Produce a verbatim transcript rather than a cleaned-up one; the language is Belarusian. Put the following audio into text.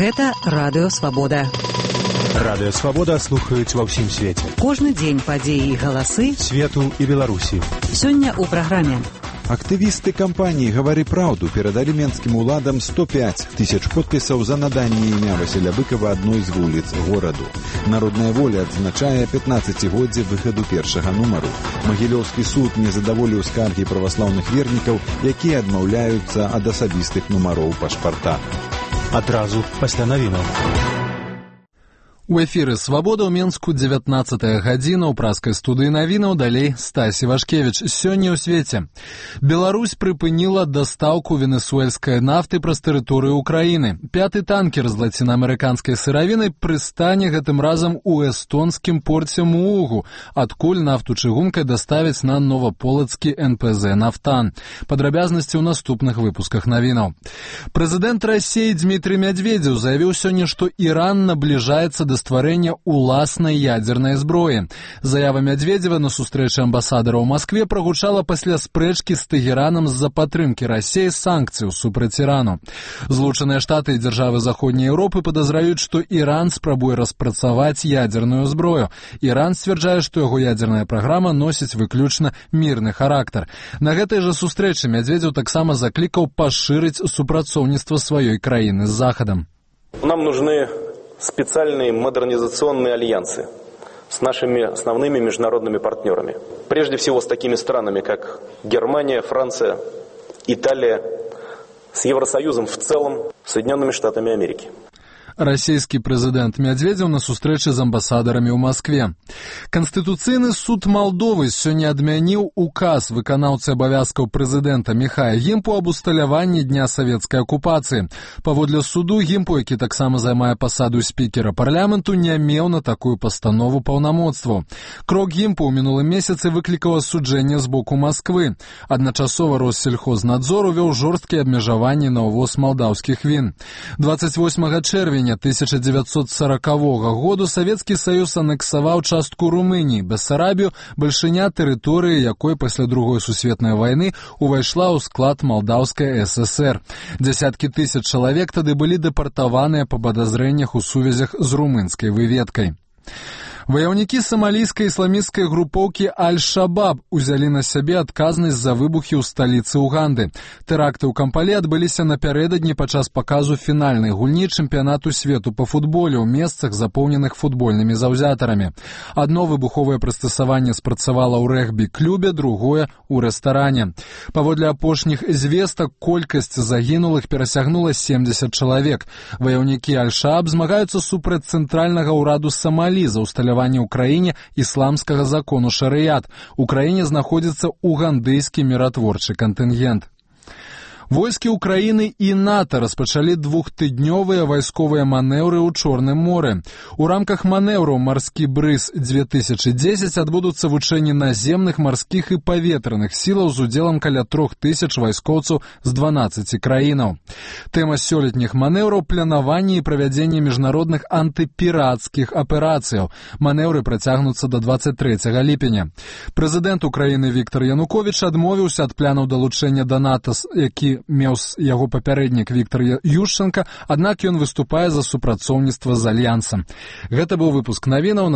Гэта Радыё Свабода. Радыё Свабода слухаюць ва ўсім свеце. Кожны дзень падзеі і галасы свету і Беларусі. Сёння ў праграме. Актывісты кампаніі «Гавары праўду» перадалі менскім уладам сто пяць тысяч подпісаў за наданне імя Васіля Быкова адной з вуліц гораду. Народная воля адзначае пятнаццацігоддзе выхаду першага нумару. Магілёўскі суд не задаволіў скаргі праваслаўных вернікаў, якія адмаўляюцца ад асабістых нумароў пашпарта. Адразу пасля навінаў. У эфіры «Свабода» ў Менску дзевятнаццатая гадзіна, ў праскай студыі навінаў, далей Стасі Вашкевіч. Сёння ў свеце. Беларусь прыпыніла дастаўку венесуэльскай нафты праз тэрыторыю Украіны. Пяты танкер з лацінаамерыканскай сыравінай прыстане гэтым разам у эстонскім порце Муугу, адкуль нафту чыгункай даставяць на новаполацкі эн пэ зэ «Нафтан». Падрабязнасці ў наступных выпусках навінаў. Прэзідэнт Расіі Дмітрый Мядведзеў заявіў сёння, што Іран набліжаецца да стварэння уласнай ядзернай зброі. Заява Мядведзева на сустрэчы амбасадара ў Маскве прагучала пасля спрэчкі з Тэгеранам з-за падтрымкі Расіі санкцыяў супраць Ірану. Злучаныя Штаты і дзяржавы Заходняй Еўропы падазраюць, што Іран спрабуе распрацаваць ядзерную зброю. Іран сцвярджае, што яго ядзерная праграма носіць выключна мірны характар. На гэтай жа сустрэчы Мядведзеў таксама заклікаў пашырыць супрацоўніцтва сваёй краіны з Захадам. Нам нужны специальные модернизационные альянсы с нашими основными международными партнерами. Прежде всего с такими странами, как Германия, Франция, Италия, с Евросоюзом в целом, Соединенными Штатами Америки. Расійскі прэзідэнт Мядведзеў на сустрэчы з амбасадарамі ў Маскве. Канстытуцыйны суд Малдовы сёння адмяніў указ выканаўцы абавязкаў прэзідэнта Міхая Гімпу аб усталяванні дня савецкай акупацыі. Паводле суду Гімпу, які таксама займае пасаду спікера парламенту, не меў на такую пастанову паўнамоцтваў. Крок Гімпу ў мінулым месяцы выклікаў асуджэнне з боку Масквы. Адначасова Россельхознадзор увёў жорсткія абмежаванні на ўвоз малдаўскіх він. дваццаць восьмага чэрвеня тысяча дзевяцьсот саракавога году Савецкі Саюз анексаваў частку Румыніі, Бессарабію, бальшыня тэрыторыі, якой пасля другой сусветнай вайны увайшла ў склад Малдаўскай эс эс эр. Дзясяткі тысяч чалавек тады былі дэпартаваныя па падазрэннях у сувязях з румынскай выведкай. Ваяўнікі самалійскай ісламісцкай групоўкі Аль-Шабаб узялі на сябе адказнасць за выбухі ў сталіцы Уганды. Тэракты ў Кампалі адбыліся напярэдадні падчас паказу фінальнай гульні чэмпіянату свету па футболе ў месцах, запоўненых футбольнымі заўзятарамі. Адно выбуховае прыстасаванне спрацавала ў рэгбі-клубе, другое ў рэстаране. Паводле апошніх звестак, колькасць загінулых перасягнула семдзесят чалавек. Ваяўнікі Аль-Шабаб змагаюцца супраць цэнтральнага ўраду Самалі за ўсталяванне ў краіне ісламскага закону шарыят. У краіне знаходзіцца угандыйскі міратворчы кантынгент. Войскі Украіны і НАТО распачалі двухтыднёвыя вайсковыя манеўры ў Чорным моры. У рамках манеўраў «Марскі брыз две тысячы дзесяць» адбудуцца вучэнні наземных, марскіх і паветраных сілаў з удзелам каля трох тысяч вайскоўцаў з дванаццаці краінаў. Тэма сёлетніх манеўраў – планаванне і правядзенне міжнародных антыпірацкіх аперацыяў. Манеўры працягнуцца да дваццаць трэцяга ліпеня. Прэзідэнт Украіны Віктар Януковіч адмовіўся ад планаў далучэння да НАТО, які меў яго папярэднік Віктар Юшчанка, аднак ён выступае за супрацоўніцтва з альянсам. Гэта быў выпуск навінаў.